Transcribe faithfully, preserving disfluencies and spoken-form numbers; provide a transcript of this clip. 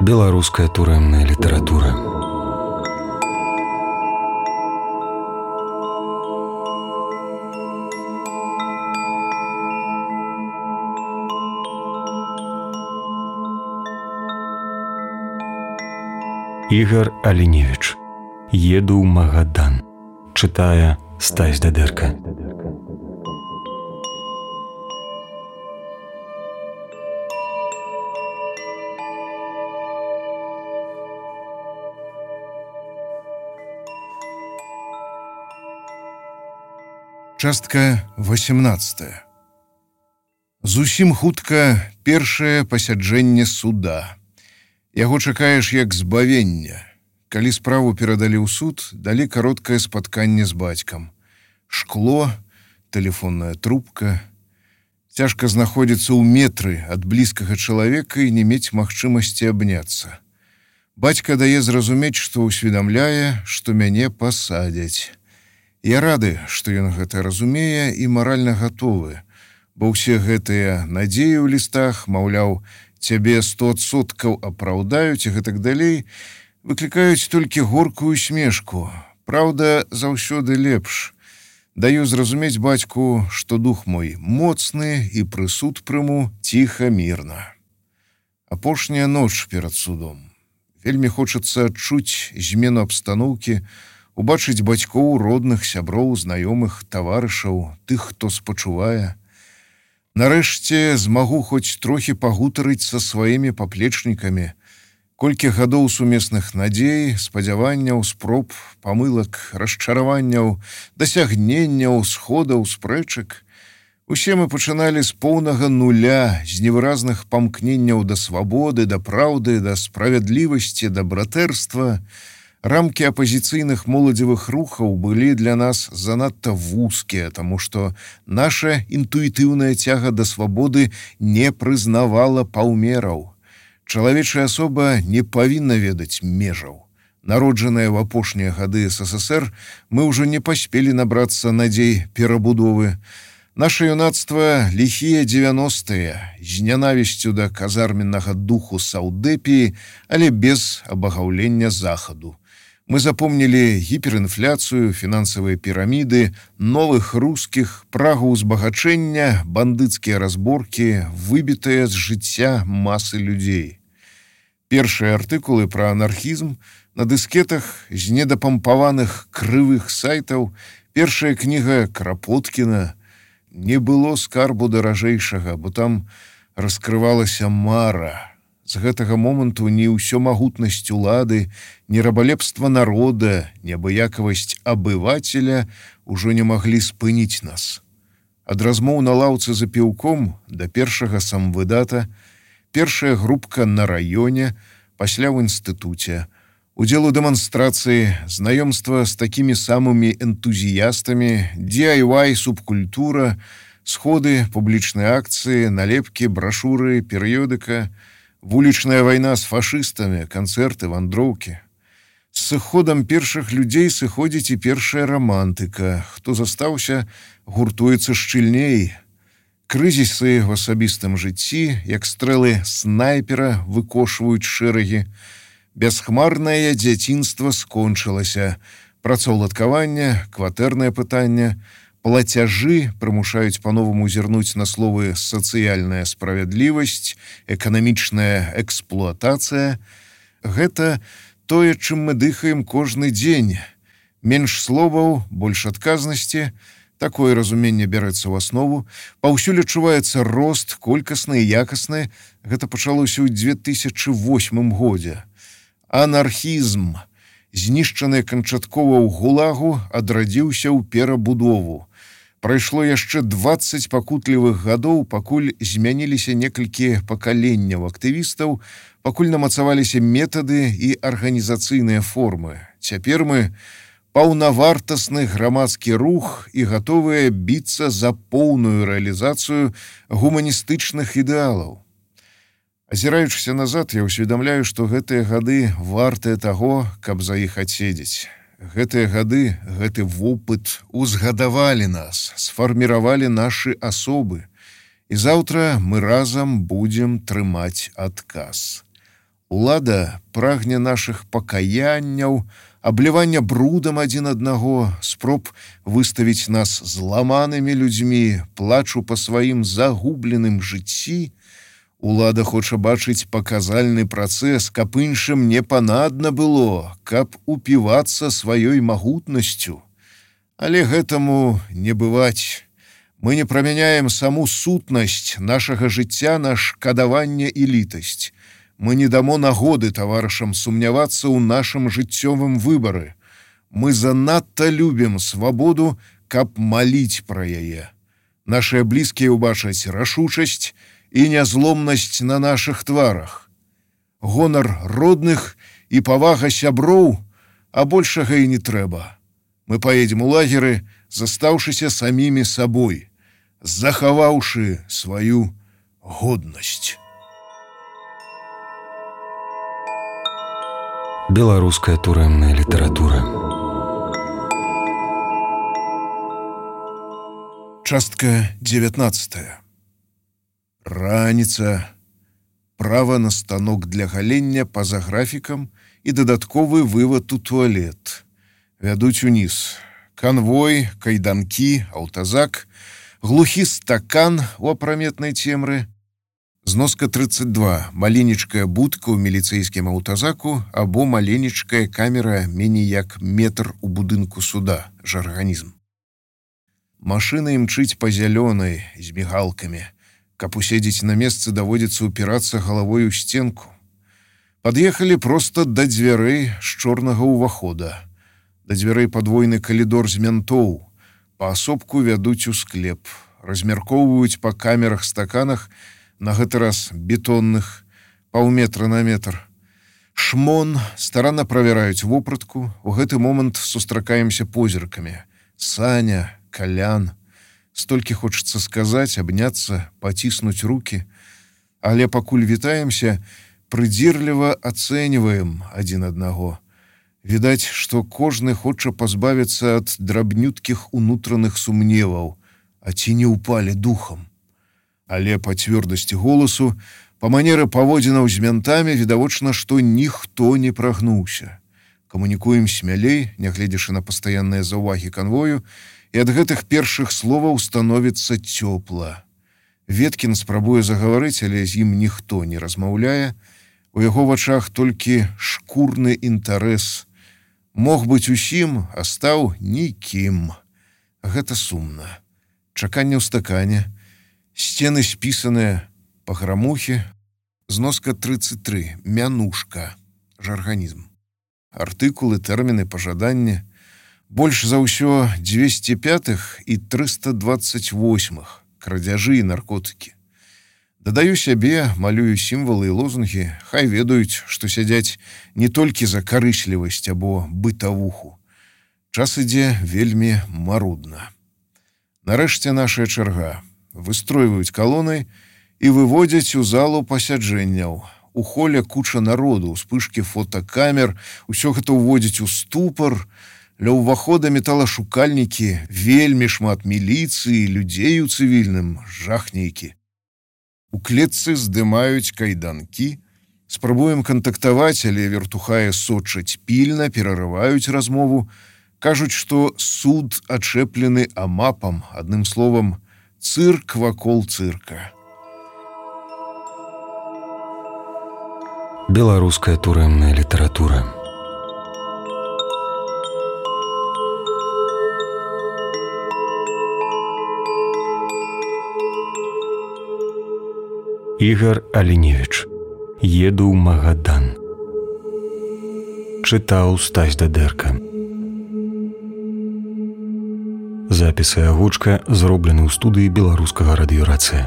Беларуская турэмная літаратура. Ігар Аліневіч. Еду ў Магадан. Чытае Стась Дадэрка. Частка восемнадцатая. Зусім хутка першае пасяджэнне суда. Яго чакаеш як збавення. Калі справу перадалі ў суд, далі кароткае спатканне з бацькам. Шкло, тэлефонная трубка. Цяжка знаходзіцца ў метры ад блізкага чалавека і не мець магчымасці абняцца. Бацька дае зразумець, што ўсведамляе, што мяне пасадзяць. Я рады, што ён гэта разумее і маральна гатовы, бо ўсе гэтыя надзеі ў лістах, маўляў, цябе сто адсоткаў апраўдаюць і гэтак далей, выклікаюць толькі горкую смешку. Праўда, заўсёды лепш. Даю зразумець бацьку, што дух мой моцны і прысуд прыму ціха, мірна. Апошняя ноч перад судом. Вельмі хочацца адчуць змену абстаноўкі, убачыць бацькоў, родных, сяброў, знаёмых, таварышаў, тых, хто спачувае. Нарэшце змагу хоць трохі пагутарыць са сваімі паплечнікамі. Колькі гадоў сумесных надзей, спадзяванняў, спроб, памылак, расчараванняў, дасягненняў, сходаў, спрэчак. Усе мы пачыналі з поўнага нуля, з невыразных памкненняў да свабоды, да праўды, да справядлівасці, да братэрства. Рамкі апазіцыйных моладзевых рухаў былі для нас занадта вузкія, таму што наша інтуітыўная цяга да свабоды не прызнавала паўмераў. Чалавечая асоба не павінна ведаць межаў. Народжаныя в апошнія гады СССР, мы ўжо не паспелі набрацца надзей перабудовы. Наша юнацтва ліхія дзевяностыя, з нянавісцю да казарменнага духу саўдэпіі, але без абагаўлення захаду. Мы запомнілі гіперінфляцыю, фінансавыя піраміды, новых рускіх, прагу ўзбагачэння, бандыцкія разборкі, выбітыя з жыцця масы людзей. Першыя артыкулы пра анархізм на дыскетах з недапампаваных крывых сайтаў, першая кніга Крапоткіна. Не было скарбу даражэйшага, бо там раскрывалася мара. З гэтага моманту ні ўсё магутнасць улады, ні рабалепства народа, ні абыякавасць абывацеля ўжо не маглі спыніць нас. Ад размоў на лаўцы за піўком да першага самвыдата, першая групка на раёне, пасля ў інстытуце, удзел у дэманстрацыі, знаёмства з такімі самымі энтузіястамі, ди ай вай, субкультура, сходы, публічныя акцыі, налепкі, брашуры, перыёдыка, вулічная вайна з фашыстамі, канцэрты, вандроўкі. З сыходам першых людзей сыходзіць і першая рамантыка. Хто застаўся, гуртуецца шчыльней. Крызісы в асабістым жыцці, як стрэлы снайпера, выкошваюць шэрагі. Бясхмарнае дзяцінства скончылася. Працаўладкаванне, кватэрнае пытанне, плацяжы прымушаюць па-новаму зірнуць на словы сацыяльная справядлівасць, эканамічная эксплуатацыя. Гэта тое, чым мы дыхаем кожны дзень. Менш словаў, больш адказнасці. Такое разуменне бярэцца ў аснову. Паўсюль адчуваецца рост, колькасны і якасны. Гэта пачалося ў дзве тысячы восьмым годзе. Анархізм, знішчаны канчаткова ў гулагу, адрадзіўся ў перабудову. Прайшло яшчэ дваццаць пакутлівых гадоў, пакуль змяніліся некалькі пакаленняў актывістаў, пакуль намацаваліся метады і арганізацыйныя формы. Цяпер мы паўнавартасны грамадскі рух і гатовыя біцца за поўную рэалізацыю гуманістычных ідэалаў. Азіраючыся назад, я ўсведамляю, што гэтыя гады вартыя таго, каб за іх адседзець. Гэтыя гады, гэты вопыт узгадавалі нас, сфарміравалі нашы асобы. І заўтра мы разам будзем трымаць адказ. Улада прагне нашых пакаянняў, аблівання брудам адзін аднаго, спроб выставіць нас зламанымі людзьмі, плачу па сваім загубленым жыцці. Улада хоча бачыць паказальны працэс, каб іншым не панадна было, каб упівацца сваёй магутнасцю. Але гэтаму не бываць. Мы не прамяняем саму сутнасць нашага жыцця на шкадаванне і літасць. Мы не дамо нагоды таварышам сумнявацца ў нашым жыццёвым выбары. Мы занадта любім свабоду, каб маліць пра яе. Нашыя блізкія ўбачаць рашучасць і нязломнасць на нашых тварах. Гонар родных і павага сяброў, а большага і не трэба. Мы паедзем у лагеры, застаўшыся самімі сабой, захаваўшы сваю годнасць. Беларуская турэмная літаратура. Частка дзевятнадцатая. Раніца. Права на станок для галення па-за графікам і дадатковы вывад у туалет. Вядуць уніз. Канвой, кайданкі, аўтазак, глухі стакан у апраметнай цемры. Зноска тридцать два. Маленечкая будка ў міліцэйскім аўтазаку або маленечкая камера меней як метр у будынку суда. Жарганізм. Машына імчыць па зялёнай з мігалкамі. Каб уседзець на месцы, даводзіцца ўпірацца галавой у сценку. Пад'ехалі проста да дзвярэй з чорнага ўвахода. Да дзвярэй падвойны калідор з мянтоў. Паасобку вядуць у склеп. Размяркоўваюць па камерах-стаканах, на гэты раз бетонных, паўметра на метр. Шмон, старанна правяраюць вопратку. У гэты момант сустракаемся позіркамі. Саня, Калян. Столькі хочацца сказаць, абняцца, паціснуць рукі. Але пакуль вітаемся, прыдзірліва ацэньваем адзін аднаго. Відаць, што кожны хоча пазбавіцца ад драбнюткіх унутраных сумневаў, а ці не ўпалі духам. Але па цвёрдасці голасу, па манеры паводзінаў з мянтамі відавочна, што ніхто не прагнуўся. Камунікуем смялей, нягледзячы на пастаянныя заўвагі канвою, і ад гэтых першых словаў становіцца цёпла. Веткін спрабуе загаварыць, але з ім ніхто не размаўляе. У яго вачах толькі шкурны інтарэс. Мог быць усім, а стаў нікім. Гэта сумна. Чаканне ў стакане. Сцены спісаныя па грамухе. Зноска тридцать три. Мянушка. Жарганізм. Артыкулы, тэрміны, пажаданні. Больш за ўсё дзвесце пятых і трыста двадцать восьмых. Крадзяжы і наркотыкі. Дадаю сябе, малюю сімвалы і лозунгі, хай ведаюць, што сядзяць не толькі за карыслівасць або бытавуху. Час ідзе вельмі марудна. Нарэшце нашая чарга. Выстройваюць калонай і выводзяць у залу пасяджэнняў. У холе куча народу, успышкі фотокамер, усё гэта ўводзіць у ступар. Ля ўвахода металашукальнікі, вельмі шмат міліцыі, людзей у цывільным, жах нейкі. У клетцы здымаюць кайданкі. Спрабуем кантактаваць, але вертухае сочаць пільна, перарываюць размову. Кажуць, што суд ачэплены амапам, адным словам, цырк вакол цырка. Беларуская турэмная літаратура. Ігар Аліневіч. Еду ў Магадан. Чытаў Стась Дадэрка. Запісы агучка зроблены ў студыі беларускага радыёрацыя.